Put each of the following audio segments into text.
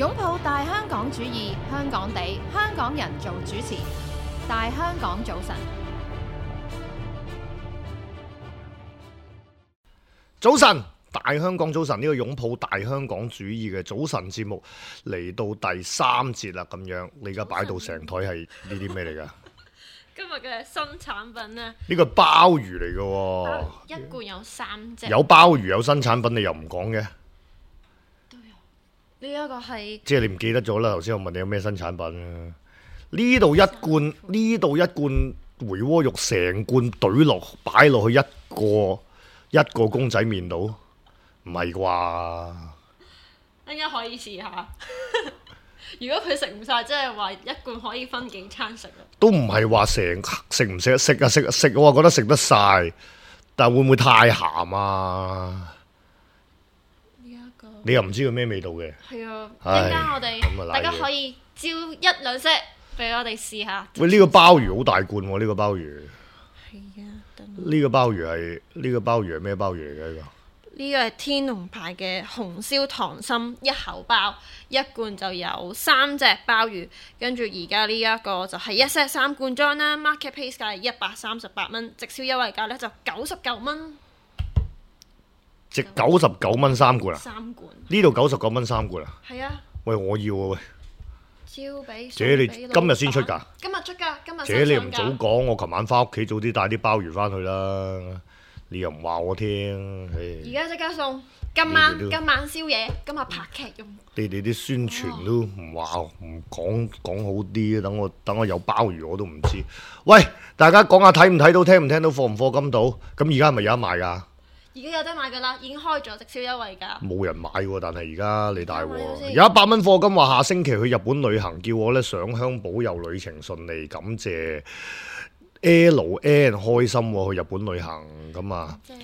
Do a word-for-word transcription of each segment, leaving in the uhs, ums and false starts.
擁抱大香港主義，香港地，香港人做主持。大香港早晨，早晨，大香港早晨，呢個擁抱大香港主義嘅早晨節目嚟到第三節啦，咁樣你而家擺到成台係呢啲咩嚟噶？今日嘅新產品呢，呢個鮑魚嚟嘅喎，一罐有三隻，有鮑魚有新產品，你又唔講嘅？都有。呢一個係即係你唔記得咗啦。頭先我問你有咩新產品啊？呢度一罐，呢度一罐回鍋肉，成罐懟落擺落去一個一個公仔麵度，唔係啩？應該可以試下。如果佢食唔晒，即係話一罐可以分幾餐食啊？都唔係話成食唔食得食啊食啊食，我話覺得食得晒，但係會唔會太鹹啊？呢一個你又唔知佢咩味道嘅？係啊，唉陣間我哋咁啊大家賴嘢可以招一兩隻俾我哋試下。喂，呢個鮑魚好大罐喎，呢個鮑魚，係啊，等呢個鮑魚係呢個鮑魚係咩鮑魚嚟嘅？呢個呢個係天龍牌嘅紅燒溏心一口包，一罐就有三隻鮑魚，跟住而家呢一個就係一 set 三罐裝啦 ，market price 價係一百三十八蚊，直銷優惠價呢就九十九蚊，值九十九蚊三罐啊！三罐。呢度九十九蚊三罐啊！係啊，喂，我要啊喂！招俾姐你送俾今日先出㗎老闆？今日出㗎，今日姐你唔新上㗎早講，我琴晚翻屋企早啲帶啲鮑魚翻去啦。你又唔話我聽，唉而家即刻送，今晚你哋都今晚宵夜，今日拍劇用。你哋啲宣傳都唔話唔講講好啲，等我等我有鮑魚我都唔知。喂，大家講下睇唔睇到，聽唔聽到，課唔課金到？咁而家係咪有得賣㗎？而家有得買㗎啦，已經開咗直銷優惠價。冇人買喎，但係而家你大買咗鑊，先有一百蚊課金話下星期去日本旅行，叫我咧上香保佑旅程順利，感謝 L N 開心喎，去日本旅行咁啊！即係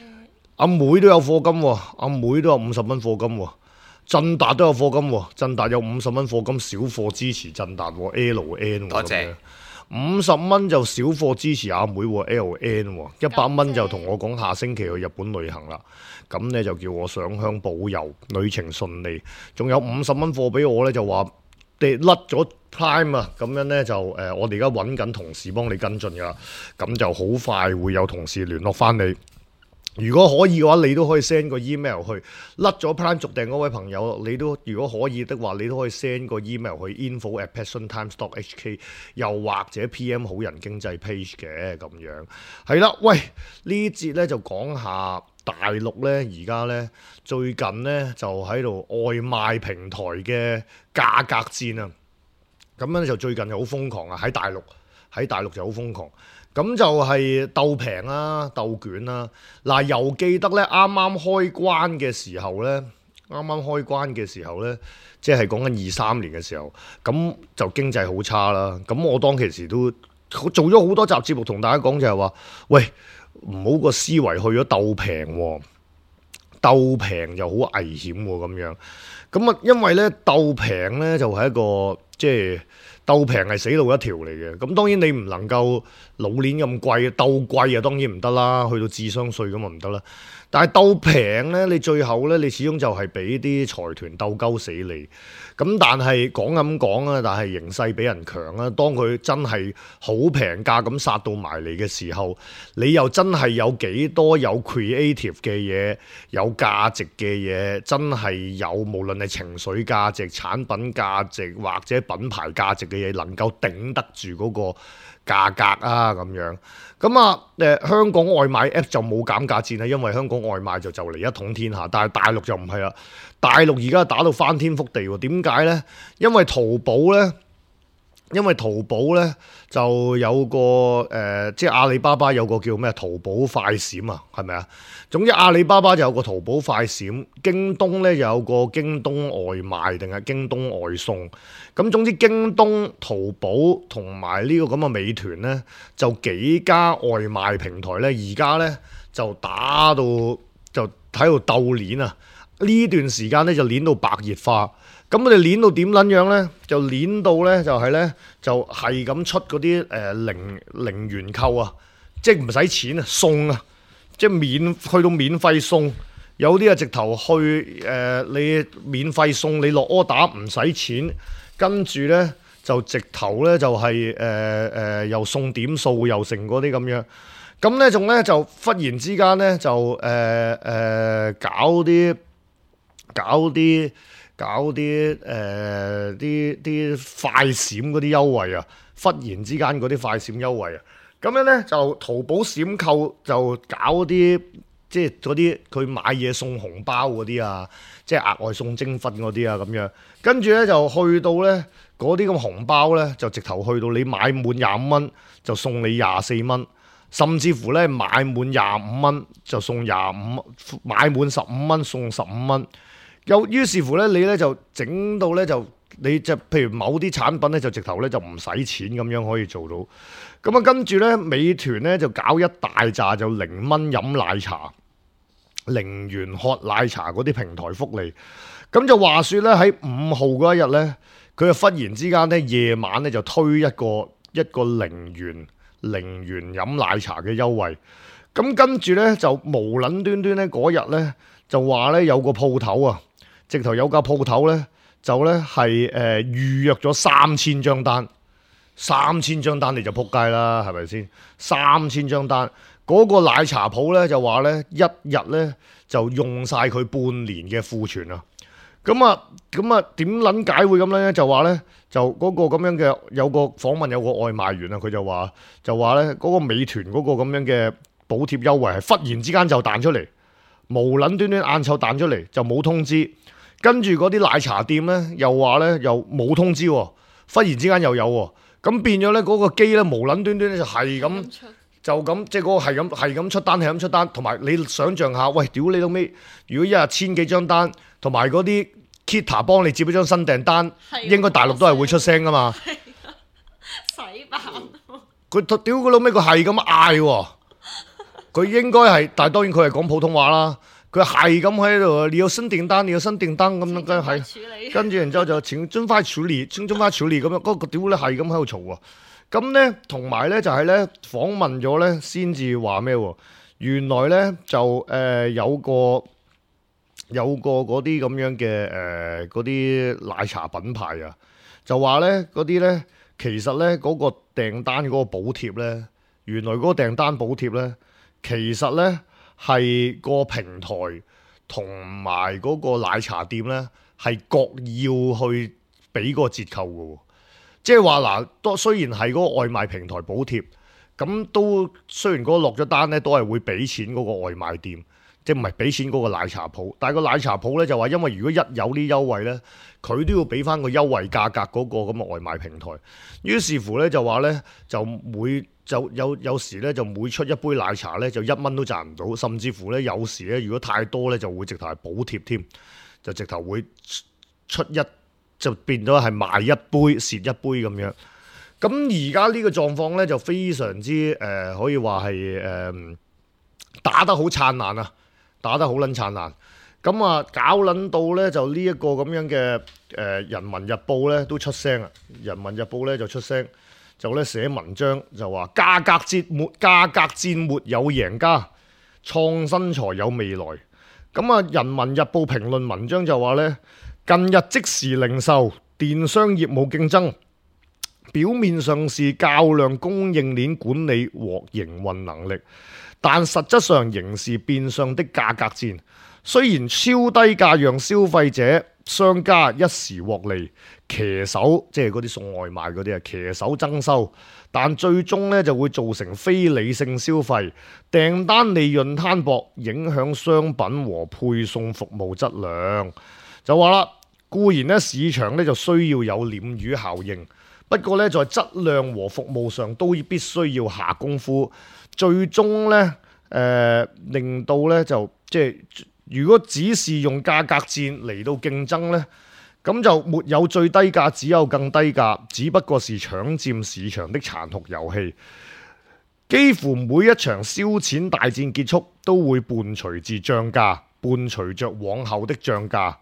阿妹都有課金喎，阿妹都有五十蚊課金喎，振達都有課金喎，振達有五十蚊課金，小貨支持振達喎 L N 喎，多謝五十蚊就小貨支持阿妹喎 L N 喎，一百蚊就同我講下星期去日本旅行啦，咁呢就叫我上香保佑旅程順利，仲有五十蚊貨俾我呢，就話跌甩咗 Prime 啊，咁樣呢，就誒、呃、我哋而家揾緊同事幫你跟進噶，咁就好快會有同事聯絡翻你。如果可以嘅話，你都可以 send 個 email 去甩咗 Prime 續訂嗰位朋友，你都如果可以的話，你都可以 send 個 email 去 info at passiontimes dot h k， 又或者 P M 好人經濟 page 嘅咁樣。係啦，喂，呢節咧就講下大陸咧，而家咧最近咧就喺度外賣平台嘅價格戰啊，咁樣咧就最近就好瘋狂啊，喺大陸喺大陸就好瘋狂。咁就係鬥平啦，鬥卷啦。嗱，又記得咧，啱啱開關嘅時候咧，啱啱開關嘅時候咧，即係講緊二三年嘅時候，咁就經濟好差啦。咁我當其時都做咗好多集節目，同大家講就係話，喂，唔好個思維去咗鬥平喎，鬥平就好危險喎咁樣。咁啊，因為咧鬥平咧就係一個即係。鬥平係死路一條嚟嘅，咁當然你唔能夠老年咁貴，鬥貴啊當然唔得啦，去到智商稅咁啊唔得啦。但係鬥平呢，你最後呢，你始終就係俾啲財團鬥鳩死你。咁但係講咁講啊，但係形勢比人強啊。當佢真係好平價咁殺到埋嚟嘅時候，你又真係有幾多有 creative 嘅嘢，有價值嘅嘢，真係有無論係情緒價值、產品價值或者品牌價值嘅嘢，能夠頂得住嗰個價格啊咁樣。咁啊誒香港外賣 app 就冇減價戰啊，因為香港外賣就就嚟一統天下，但係大陸就唔係啦。大陸而家打到翻天覆地喎，點解呢？因為淘寶呢，因為淘寶呢就有個誒、呃，即係阿里巴巴有個叫咩淘寶快閃啊，係咪啊？總之阿里巴巴就有個淘寶快閃，京東呢有個京東外賣定係京東外送。咁總之京東、淘寶同埋呢個咁嘅美團呢，就幾家外賣平台呢，而家呢就打到就喺度鬥鏈啊！呢段時間呢，就鏈到白熱化。咁我哋鏈到點撚樣呢？就鏈到呢，就係呢，就係咁出嗰啲誒零零元購啊，即係唔使錢啊，送啊，即係免去到免費送。有啲啊直頭去誒、呃，你免費送你落柯打唔使錢，跟住咧就直頭咧就係誒誒又送點數又成嗰啲咁樣。咁咧仲咧就忽然之間咧就誒誒、呃呃、搞啲搞啲搞啲誒啲啲快閃嗰啲優惠啊！忽然之間嗰啲快閃優惠啊！咁樣咧就淘寶閃購就搞啲即係嗰啲佢買嘢送紅包嗰啲啊，即係額外送精粉嗰啲啊咁樣。跟住咧就去到咧嗰啲咁紅包咧就直頭去到你買滿廿五蚊就送你廿四蚊。甚至乎咧買滿廿五蚊就送廿五，買滿十五蚊送十五蚊。又於是乎咧，你咧就整到咧就你就譬如某啲產品咧就直頭咧就唔使錢咁樣可以做到。咁啊跟住咧，美團咧就搞一大扎就零蚊飲奶茶、零元喝奶茶嗰啲平台福利。咁就話說咧喺五號嗰一日咧，佢就忽然之間咧夜晚咧就推一個一個零元。零元飲奶茶嘅優惠，咁跟住呢，就無撚端端呢嗰日呢，就話呢有個鋪頭啊，直頭有間鋪頭呢，就呢係誒預約咗三千張單，三千張單你就撲街啦，係咪先？三千張單，嗰、嗰個奶茶鋪呢，就話呢一日呢，就用晒佢半年嘅庫存啊！咁啊，咁啊點撚解會咁樣咧？就話咧，就嗰個咁樣嘅有個訪問有個外賣員啊，佢就話就話咧嗰個美團嗰個咁樣嘅補貼優惠係忽然之間就彈出嚟，無撚端端晏晝彈出嚟就冇通知，跟住嗰啲奶茶店咧又話咧又冇通知喎，忽然之間又有喎，咁變咗咧嗰個機咧無撚端端咧就係咁就咁即係嗰個係咁係咁出單係咁出單，同埋你想象下，喂屌你老尾，如果一日千幾張單。同埋嗰啲 Kita 幫你接咗張新訂單，應該大陸都係會出聲噶嘛。洗版。佢屌佢老尾，佢係咁嗌喎。佢應該係，但係當然佢係講普通話啦。佢係咁喺度，你有新訂單，你有新訂單咁樣跟係，跟住然之後就請盡快處理，請盡快處理咁樣。嗰個屌咧係咁喺度嘈喎。咁咧同埋咧就係咧訪問咗咧先至話咩喎？原來咧就誒、呃、有個。有個嗰啲咁樣嘅誒嗰啲奶茶品牌啊，就話咧嗰啲咧其實咧嗰、嗰個訂單嗰個補貼咧，原來嗰個訂單補貼咧，其實咧係個平台同埋嗰個奶茶店咧係各要去俾個折扣嘅喎，即係話嗱，都雖然係嗰個外賣平台補貼，咁都雖然嗰個落咗單咧都係會俾錢嗰個外賣店。即係唔係俾錢嗰個奶茶鋪，但係個奶茶鋪咧就話，因為如果一有啲優惠咧，佢都要俾翻個優惠價格嗰個咁嘅外賣平台。於是乎咧就話咧，就每就有有時咧就每出一杯奶茶咧就一蚊都賺唔到，甚至乎咧有時咧如果太多咧就會直頭係補貼添，就直頭會出一就變咗係賣一杯蝕一杯咁樣。咁而家呢個狀況咧就非常之誒、呃，可以話係誒打得好燦爛啊！打得好撚燦爛，咁啊搞撚到咧就呢一個咁樣嘅誒、呃《人民日報》咧都出聲啊，《人民日報》咧就出聲，就咧寫文章就話價格戰沒價格戰沒有贏家，創新才有未來。咁啊，《人民日報》評論文章就話咧，近日即時零售電商業務競爭，表面上是較量供應鏈管理和營運能力。但實質上仍是變相的價格戰，雖然超低價讓消費者、商家一時獲利，騎手即係嗰啲送外賣嗰啲啊，騎手增收，但最終呢就會造成非理性消費，訂單利潤攤薄，影響商品和配送服務質量。就話啦，固然呢市場呢就需要有鯰魚效應，不過呢在質量和服務上都必須要下功夫。最終咧，誒、呃、令到咧就即係，如果只是用價格戰嚟到競爭咧，咁就沒有最低價，只有更低價，只不過是搶佔市場的殘酷遊戲。幾乎每一場燒錢大戰結束，都會伴隨住漲價，伴隨着往後的漲價。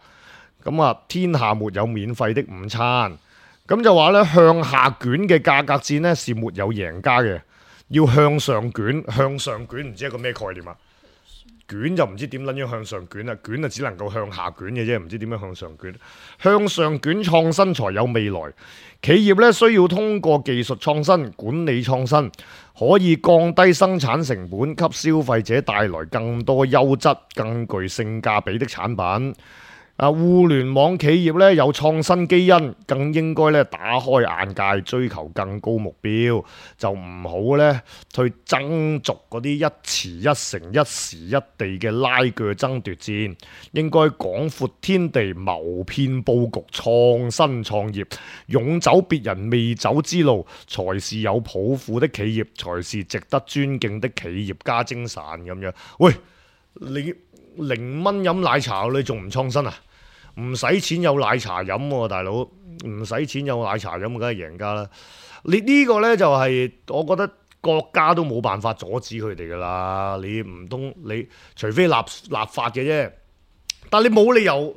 咁啊，天下沒有免費的午餐。咁就話咧，向下捲嘅價格戰咧是沒有贏家嘅。要向上捲，向上捲唔知係個咩概念啊？捲就唔知點撚樣向上捲啦，捲啊只能夠向下捲嘅啫，唔知點樣向上捲。向上捲創新才有未來。企業咧需要通過技術創新、管理創新，可以降低生產成本，給消費者帶來更多優質、更具性價比的產品。啊！互聯網企業咧有創新基因，更應該咧打開眼界，追求更高目標，就唔好咧去爭逐嗰啲一池一城、一時一地嘅拉鋸爭奪戰。應該廣闊天地，謀篇佈局，創新創業，勇走別人未走之路，才是有抱負的企業，才是值得尊敬的企業家精神咁樣。喂，你零蚊飲奶茶你仲唔創新啊？唔使錢有奶茶飲喎，大佬，唔使錢有奶茶飲梗係贏家啦。你呢個呢，就係我覺得國家都冇辦法阻止佢哋噶啦。你唔通你除非立立法嘅啫，但你冇理由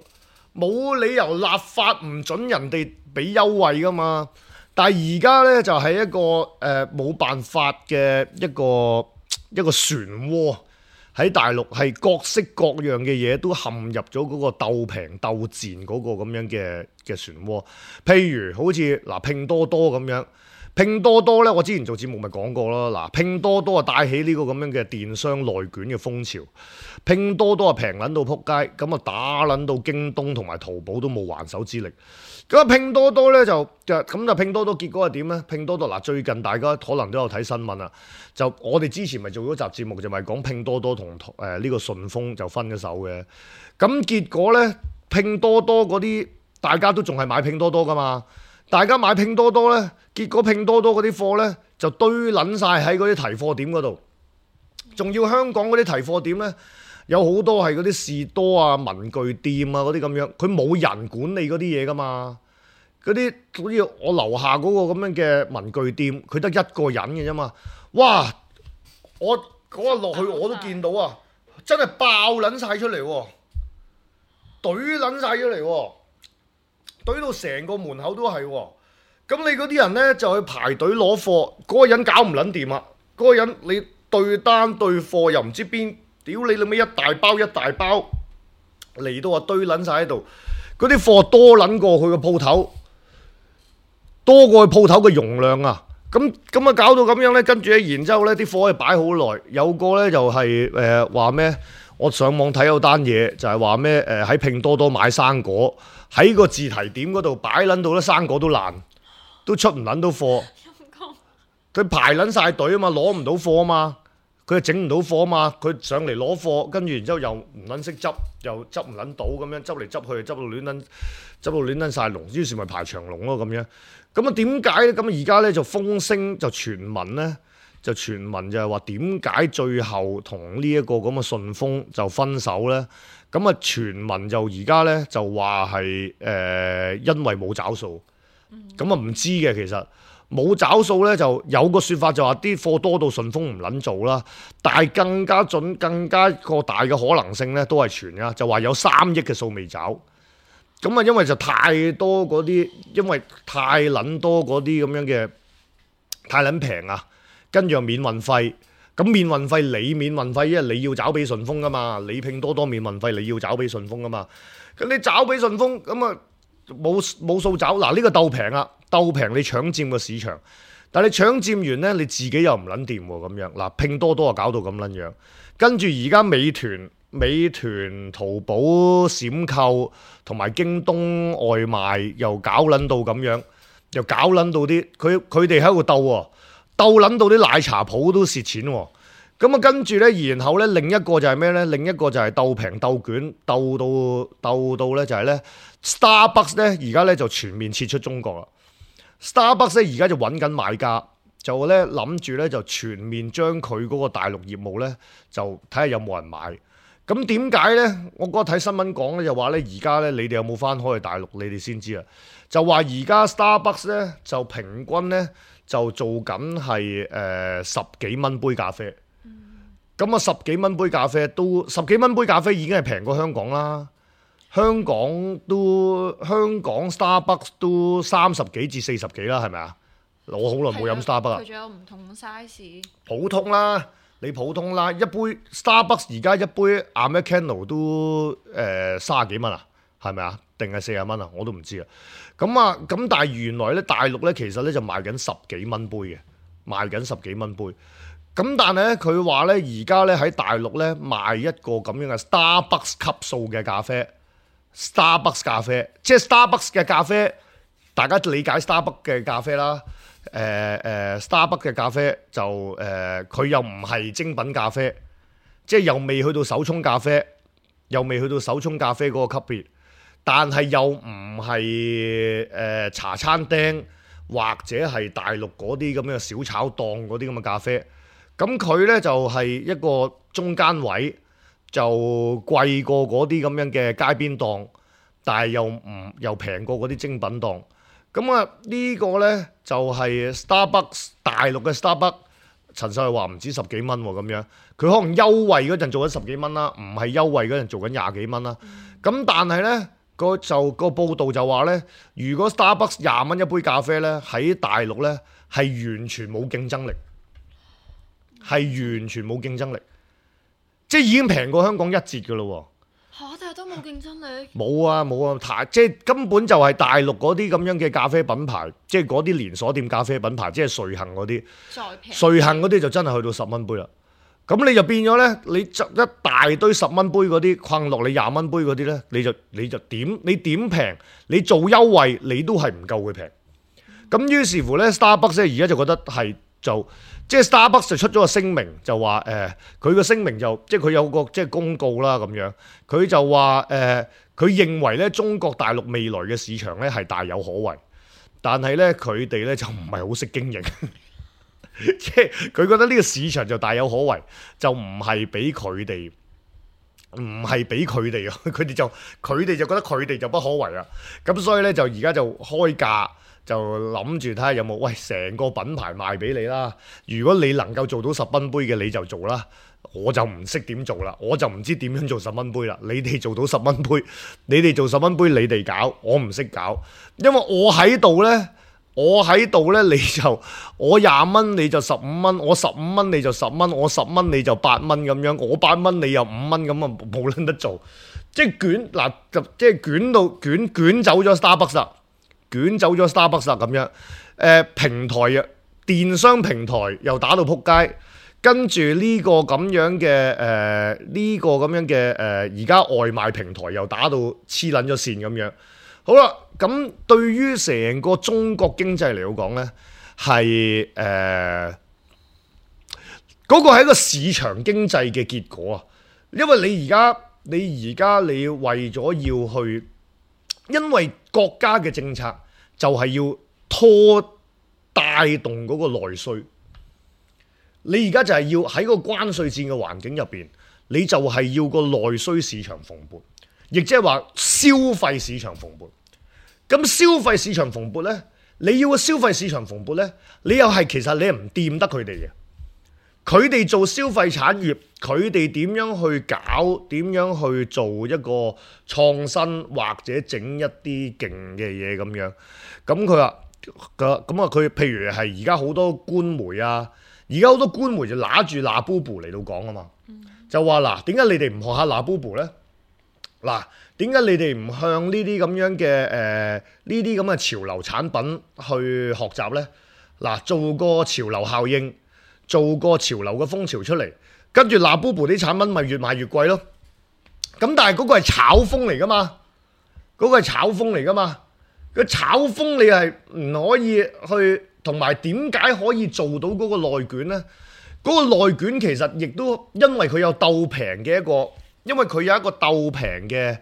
冇理由立法唔準人哋俾優惠噶嘛。但係而家呢，就係一個誒冇辦法嘅一個一個漩渦。喺大陸係各式各樣嘅嘢都陷入咗嗰個鬥平鬥賤嗰個咁樣嘅嘅漩渦。譬如好似嗱拼多多咁樣，拼多多呢，我之前做節目咪講過咯。嗱，拼多多啊帶起呢個咁樣嘅電商內卷嘅風潮，拼多多啊平撚到撲街，咁啊打撚到京東同埋淘寶都冇還手之力。咁啊拼多多咧就就咁就拼多多結果係點咧？拼多多嗱最近大家可能都有睇新聞啦，就我哋之前咪做咗集節目就咪講拼多多同誒呢個順豐就分咗手嘅。咁結果咧拼多多嗰啲大家都仲係買拼多多噶嘛，大家買拼多多咧，結果拼多多嗰啲貨咧就堆撚晒喺嗰啲提貨點嗰度，仲要香港嗰啲提貨點咧。有好多係嗰啲士多啊、文具店啊嗰啲咁樣，佢冇人管理嗰啲嘢噶嘛。嗰啲好似我樓下嗰個咁樣嘅文具店，佢得一個人嘅啫嘛。哇！我嗰日落去我都見到啊，真係爆撚晒出嚟喎，懟撚晒出嚟喎，懟到成個門口都係喎。咁你嗰啲人呢，就去排隊攞貨，嗰個人搞唔撚掂啊！嗰個人你對單對貨又唔知邊。屌你老味一大包一大包嚟到啊堆撚晒喺度，嗰啲貨多撚過佢個鋪頭，多過佢鋪頭嘅容量啊！咁咁啊搞到咁樣呢，跟住咧，然之後咧啲貨係擺好耐，有個呢就係誒話咩？我上網睇有單嘢就係話咩？誒喺拼多多買生果，喺個自提點嗰度擺撚到咧生果都爛，都出唔撚到貨。佢排撚晒隊啊嘛，攞唔到貨啊嘛。佢又整唔到貨啊嘛，佢上嚟攞貨，跟住然之後又唔撚識執，又執唔撚到咁樣，執嚟執去，執到亂撚，執到亂撚晒龍，於是咪排長龍咯咁樣。咁啊點解咧？咁而家咧就風聲就傳聞咧，就傳聞就係話點解最後同呢一個咁嘅順豐就分手咧？咁啊傳聞就而家咧就話係誒因為冇找數，咁啊唔知嘅其實。冇找數咧，就有個説法就話啲貨多到順豐唔撚做啦，但係更加準、更加個大嘅可能性咧，都係傳㗎，就話有三億嘅數未找。咁啊，因為就太多嗰啲，因為太撚多嗰啲咁樣嘅太撚平啊，跟住又免運費。咁免運費你免運費，因為你要找俾順豐噶嘛，你拼多多免運費你要找俾順豐噶嘛。咁你找俾順豐，咁啊冇冇數找。嗱呢個鬥平啊！鬥平你搶佔個市場，但係你搶佔完呢，你自己又唔撚掂喎咁樣。嗱，拼多多啊搞到咁撚樣，跟住而家美團、美團、淘寶、閃購同埋京東外賣又搞撚到咁樣，又搞撚到啲佢佢哋喺度鬥喎，鬥撚到啲奶茶鋪都蝕錢喎。咁啊跟住呢，然後呢，另一個就係咩呢？另一個就係鬥平鬥卷，鬥到鬥到呢就係呢 Starbucks 呢，而家呢就全面撤出中國啦。Starbucks 咧而家就揾緊買家，就咧諗住咧就全面將佢嗰個大陸業務咧就睇下有冇人買。咁點解咧？我嗰日睇新聞講咧就話咧而家咧你哋有冇翻開去大陸？你哋先知啊。就話而家 Starbucks 咧就平均咧就做緊係誒十幾蚊杯咖啡。咁啊、嗯、十幾蚊杯咖啡都十幾蚊杯咖啡已經係平過香港啦。香港都香港 Starbucks 都三十幾至四十幾啦，係咪啊？我好耐冇飲 Starbucks 啦。佢仲有唔同 size。普通啦，你普通啦，一杯 Starbucks 而家一杯 Americano 都誒三十幾蚊啊，係咪啊？定係四十蚊啊？我都唔知啊。咁啊，咁但係原來咧大陸咧其實咧就賣緊十幾蚊杯嘅，賣緊十幾蚊杯。咁但係咧佢話咧而家咧喺大陸咧賣一個咁樣嘅 Starbucks 級數嘅咖啡 ，Starbucks 咖啡，即係 Starbucks 嘅咖啡，大家理解 Starbucks 嘅咖啡啦。誒、呃、誒、呃、Starbucks 嘅咖啡就誒佢、呃、又唔係精品咖啡，即係又未去到手沖咖啡，又未去到手沖咖啡嗰個級別，但係又唔係誒茶餐廳或者係大陸嗰啲咁嘅小炒檔嗰啲咁嘅咖啡，咁佢咧就係、是、一個中間位，就貴過嗰啲咁樣嘅街邊檔，但係又唔又平過嗰啲精品檔。咁啊呢個呢，就係 Starbucks 大陸嘅 Starbucks， 陳秀係話唔止十幾蚊喎咁樣，佢可能優惠嗰陣做緊十幾蚊啦，唔係優惠嗰陣做緊廿幾蚊啦。咁、嗯、但係呢，個就個報道就話呢，如果 Starbucks 廿蚊一杯咖啡呢，喺大陸呢係完全冇競爭力，係完全冇競爭力，即係已經平過香港一截㗎咯喎。嚇！但係都冇競爭力。冇啊冇啊，太即係根本就係大陸嗰啲咁樣嘅咖啡品牌，即係嗰啲連鎖店咖啡品牌，即係瑞幸嗰啲。再平。瑞幸嗰啲就真係去到十蚊杯啦。咁你就變咗咧，你執一大堆十蚊杯嗰啲，困落你廿蚊杯嗰啲咧，你就你就點你點平，你做優惠你都係唔夠佢平。咁於是乎咧 ，Starbucks 咧而家就覺得係就。即係 Starbucks 就出咗個聲明，就話誒，佢、呃、個聲明就即係佢有個即係公告啦咁樣，佢就話誒，佢、呃、認為咧中國大陸未來嘅市場咧係大有可為，但係咧佢哋咧就唔係好識經營，即係佢覺得呢個市場就大有可為，就唔係俾佢哋，唔係俾佢哋啊，佢哋就佢哋就覺得佢哋就不可為啊，咁所以咧就而家就開價。就諗住睇下有冇，喂，成個品牌賣俾你啦。如果你能夠做到十蚊杯嘅，你就做啦。我就唔識點做啦，我就唔知點樣做十蚊杯啦。你哋做到十蚊杯，你哋做十蚊杯，你哋搞，我唔識搞。因為我喺度呢，我喺度呢，你就我廿蚊你就十五蚊，我十五蚊你就十蚊，我十蚊你就八蚊咁樣，我八蚊你又五蚊咁啊，冇撚得做。即係捲嗱，即係捲到捲捲走咗 Starbucks 啦。捲走咗 Starbucks 啦咁樣，誒、呃、平台啊，電商平台又打到撲街，跟住呢個咁樣嘅誒呢個咁樣嘅誒而家外賣平台又打到黐撚咗線咁樣。好啦，咁對於成個中國經濟嚟講呢，係誒嗰個係一個市場經濟嘅結果啊，因為你而家你而家你為咗要去。因為國家嘅政策就係要拖帶動嗰個內需，你而家就係要喺個關稅戰嘅環境入邊，你就係要個內需市場蓬勃，亦即係話消費市場蓬勃。咁消費市場蓬勃呢，你要個消費市場蓬勃呢，你又係其實你係唔掂得佢哋嘅。佢哋做消費產業，佢哋點樣去搞？點樣去做一個創新或者整一啲勁嘅嘢咁樣？咁佢話咁啊，佢譬如係而家好多官媒啊，而家好多官媒就拿住嗱 Labubu 嚟到講啊嘛，嗯、就話嗱，點解你哋唔學下嗱 Labubu 咧？嗱，點解你哋唔向呢啲咁樣嘅誒呢啲咁嘅潮流產品去學習咧？嗱，做個潮流效應。做個潮流嘅風潮出嚟，跟住嗱 Labubu 啲產品咪越賣越貴咯。咁但係嗰個係炒風嚟噶嘛，嗰個係炒風嚟噶嘛。個炒風你係唔可以去，同埋點解可以做到嗰個內卷呢？嗰個內卷其實亦都因為佢有鬥平嘅一個，因為佢有一個鬥平嘅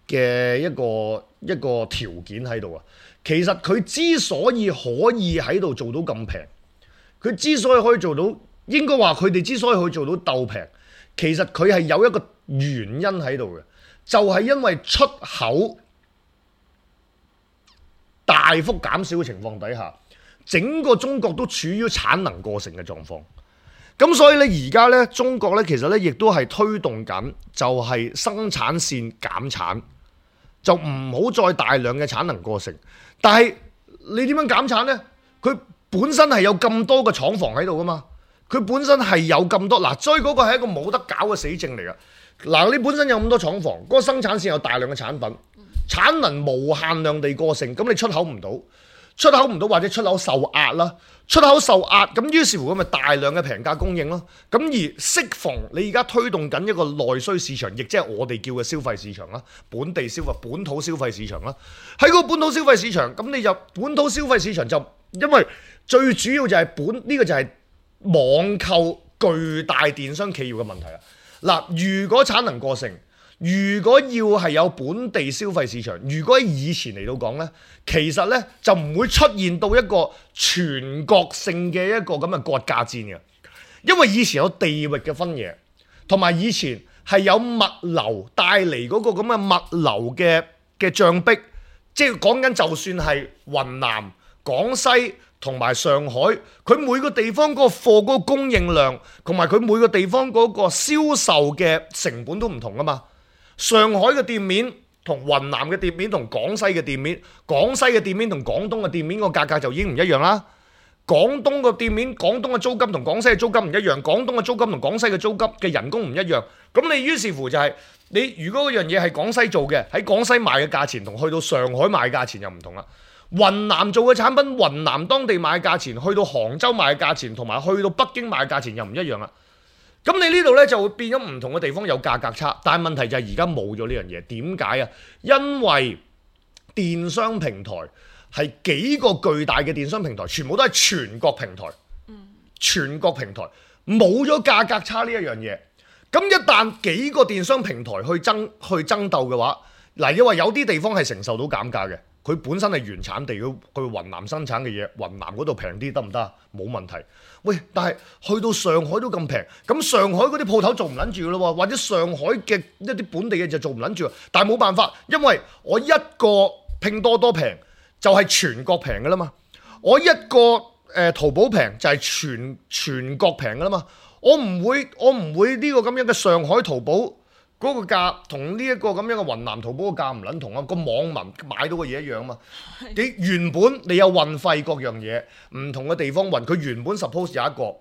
嘅一個一個條件喺度啊。其實佢之所以可以喺度做到咁平。佢之所以可以做到，應該話佢哋之所以可以做到鬥平，其實佢係有一個原因喺度嘅，就係因為出口大幅減少嘅情況底下，整個中國都處於產能過剩嘅狀況。咁所以咧，而家咧中國咧其實咧亦都係推動緊，就係生產線減產，就唔好再大量嘅產能過剩。但係你點樣減產咧？佢本身係有咁多個廠房喺度噶嘛，佢本身係有咁多嗱，所以嗰個係一個冇得搞嘅死症嚟㗎。嗱，你本身有咁多廠房，嗰、嗰個生產線有大量嘅產品，產能無限量地過剩，咁你出口唔到，出口唔到或者出口受壓啦，出口受壓，咁於是乎咁咪大量嘅平價供應咯。咁而適逢你而家推動緊一個內需市場，亦即係我哋叫嘅消費市場啦，本地消費、本土消費市場啦。喺個本土消費市場，咁你就本土消費市場就因為最主要就係本呢、呢個就係網購巨大電商企業嘅問題啦。嗱，如果產能過剩，如果要係有本地消費市場，如果喺以前嚟到講呢，其實呢就唔會出現到一個全國性嘅一個咁嘅割價戰嘅，因為以前有地域嘅分野，同埋以前係有物流帶嚟嗰個咁嘅物流嘅嘅障壁，即係講緊就算係雲南、廣西同埋上海，佢每個地方嗰個貨嗰個供應量，同埋佢每個地方嗰個銷售嘅成本都唔同㗎嘛。上海嘅店面同雲南嘅店面同廣西嘅店面，廣西嘅店面同廣東嘅店面個價格就已經唔一樣啦。廣東嘅店面，廣東嘅租金同廣西嘅租金唔一樣，廣東嘅租金同廣西嘅租金嘅人工唔一樣。咁你於是乎就係、是、你如果嗰樣嘢係廣西做嘅，喺廣西賣嘅價錢同去到上海賣嘅價錢又唔同啦。雲南做嘅產品，雲南當地賣嘅價錢，去到杭州賣嘅價錢，同埋去到北京賣嘅價錢又唔一樣啦。咁你呢度呢，就會變咗唔同嘅地方有價格差，但係問題就係而家冇咗呢樣嘢。點解啊？因為電商平台係幾個巨大嘅電商平台，全部都係全國平台，全國平台冇咗價格差呢一樣嘢。咁一旦幾個電商平台去爭去爭鬥嘅話，嗱，因為有啲地方係承受到減價嘅。佢本身係原產地，佢去雲南生產嘅嘢，雲南嗰度平啲得唔得啊？冇問題。喂，但係去到上海都咁平，咁上海嗰啲鋪頭做唔撚住咯喎，或者上海嘅一啲本地嘅就做唔撚住。但係冇辦法，因為我一個拼多多平就係全國平㗎啦嘛，我一個誒、呃、淘寶平就係全全國平㗎啦嘛。我唔會我唔會呢個咁樣嘅上海淘寶嗰個價同呢一個咁樣嘅雲南淘寶個價唔撚同啊！個網民買到嘅嘢一樣啊嘛。你原本你有運費各樣嘢，唔同嘅地方運，佢原本 suppose 有一個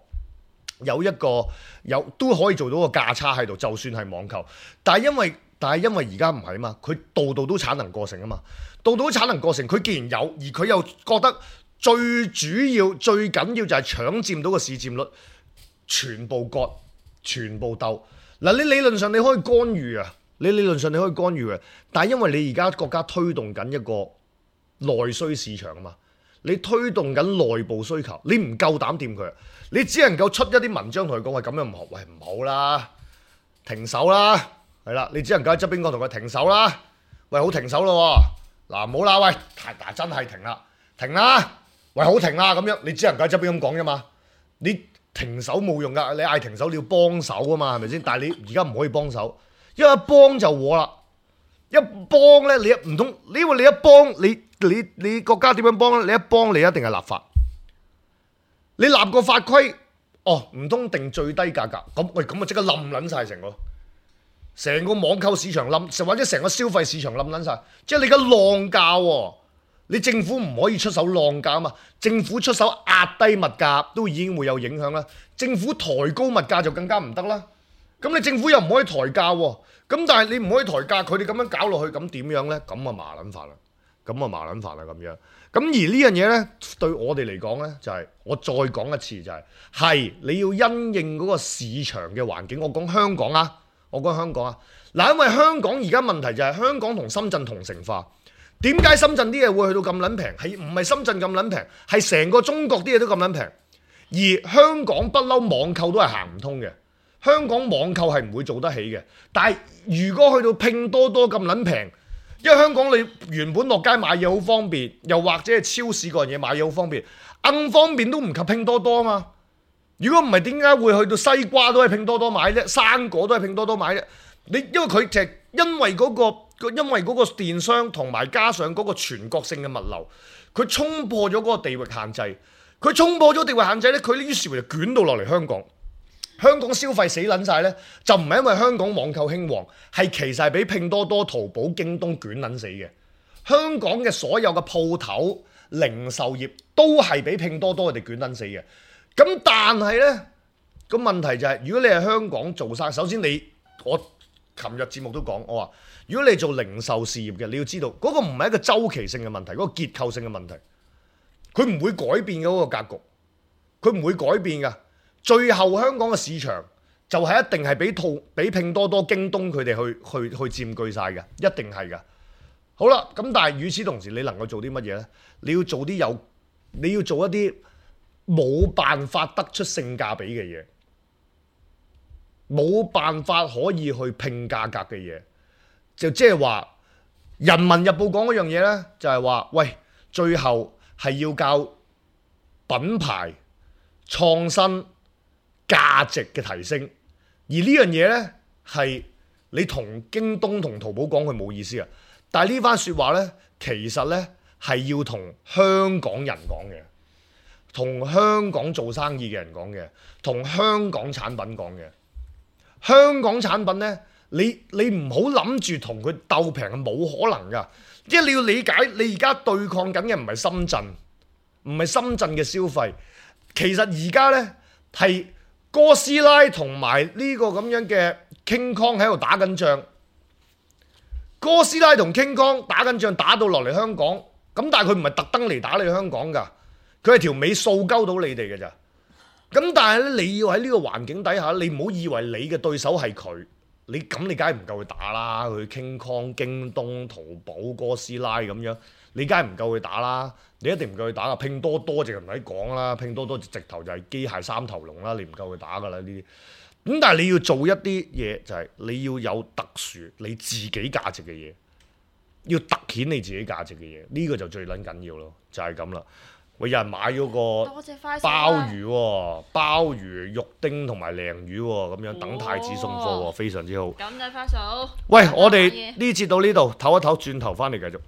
有一個有都可以做到個價差喺度，就算係網購。但係因為但係因為而家唔係啊嘛，佢度度都產能過剩啊嘛，度度都產能過剩，佢既然有，而佢又覺得最主要最緊要就係搶佔到個市佔率，全部割，全部鬥。嗱，你理論上你可以干預啊，你理論上你可以干預啊，但係因為你而家國家推動緊一個內需市場啊嘛，你推動緊內部需求，你唔夠膽掂佢，你只能夠出一啲文章同佢講話咁樣唔好，喂唔好啦，停手啦，係啦，你只能夠喺側邊講同佢停手啦，喂好停手咯，嗱唔好啦，喂，嗱真係停啦，停啦，喂好停啦咁樣，你只能夠喺側邊咁講啫嘛，你。停手冇用㗎，你嗌停手你要幫手啊嘛，係咪先？但係你而家唔可以幫手，因為一幫就禍啦。一幫咧，你一唔通，因為你一幫你你你國家點樣幫咧？你一幫你一定係立法，你立個法規，哦唔通定最低價格咁？喂咁啊即刻冧撚晒成個成個網購市場冧，或者成個消費市場冧撚晒，即係你而家浪價喎。你政府唔可以出手浪價啊嘛，政府出手壓低物價都已經會有影響啦。政府抬高物價就更加唔得啦。咁你政府又唔可以抬價喎，咁但係你唔可以抬價，佢哋咁樣搞落去，咁點樣呢？咁啊麻撚法啦，咁啊麻撚法啦咁樣。咁而呢樣嘢呢，對我哋嚟講呢，就係、是、我再講一次就係、是，係你要因應嗰個市場嘅環境。我講香港啊，我講香港啊，嗱，因為香港而家問題就係香港同深圳同城化。點解深圳啲嘢會去到咁撚平？係唔係深圳咁撚平？係成個中國啲嘢都咁撚平。而香港不嬲網購都係行唔通嘅。香港網購係唔會做得起嘅。但係如果去到拼多多咁撚平，因為香港你原本落街買嘢好方便，又或者係超市嗰樣嘢買嘢好方便，硬方便都唔及拼多多啊嘛。如果唔係點解會去到西瓜都係拼多多買啫，生果都係拼多多買啫？你因為佢就係因為嗰個。因為嗰個電商同埋加上嗰個全國性嘅物流，佢衝破咗嗰個地域限制，佢衝破咗地域限制咧，佢於是乎就捲到落嚟香港。香港消費死撚晒咧，就唔係因為香港網購興旺，係其實係俾拼多多、淘寶、京東捲撚死嘅。香港嘅所有嘅鋪頭、零售業都係俾拼多多佢哋捲撚死嘅。咁但係咧，個問題就係、是，如果你係香港做生，首先你我琴日節目都講，我話如果你做零售事業嘅，你要知道嗰、那個唔係一個周期性嘅問題，嗰、那個結構性嘅問題，佢唔會改變嘅嗰個格局，佢唔會改變㗎。最後香港嘅市場就係一定係俾套俾拼多多、京東佢哋去去去佔據晒嘅，一定係㗎。好啦，咁但係與此同時，你能夠做啲乜嘢呢？你要做啲有，你要做一啲冇辦法得出性價比嘅嘢，冇辦法可以去拼價格嘅嘢，就即係話《人民日報》講嗰樣嘢呢，就係話喂，最後係要教品牌創新價值嘅提升，而呢樣嘢呢，係你同京東同淘寶講佢冇意思啊！但係呢番説話呢，其實呢係要同香港人講嘅，同香港做生意嘅人講嘅，同香港產品講嘅。香港產品呢，你你唔好諗住同佢鬥平，係冇可能㗎。即係你要理解，你而家對抗緊嘅唔係深圳，唔係深圳嘅消費。其實而家呢，係哥斯拉同埋呢個咁樣嘅 King Kong 喺度打緊仗。哥斯拉同 King Kong 打緊仗，打到落嚟香港，咁但係佢唔係特登嚟打你香港㗎，佢係條尾掃鳩到你哋㗎咋。咁但係咧，你要喺呢個環境底下，你唔好以為你嘅對手係佢，你咁你梗係唔夠佢打啦。佢 King Kong、京東、淘寶、哥斯拉咁樣，你梗係唔夠佢打啦。你一定唔夠佢打啊！拼多多就唔使講啦，拼多多直頭就係機械三頭龍啦，你唔夠佢打㗎啦呢啲。咁但係你要做一啲嘢，就係、是、你要有特殊你自己價值嘅嘢，要突顯你自己價值嘅嘢，呢、這個就最撚緊要咯，就係咁啦。喂，有人買咗個鮑魚喎，鮑魚、肉丁同埋鯪魚喎，咁樣等太子送貨喎，非常之好。咁就快手。喂，我哋呢節到呢度，唞一唞，轉頭翻嚟繼續。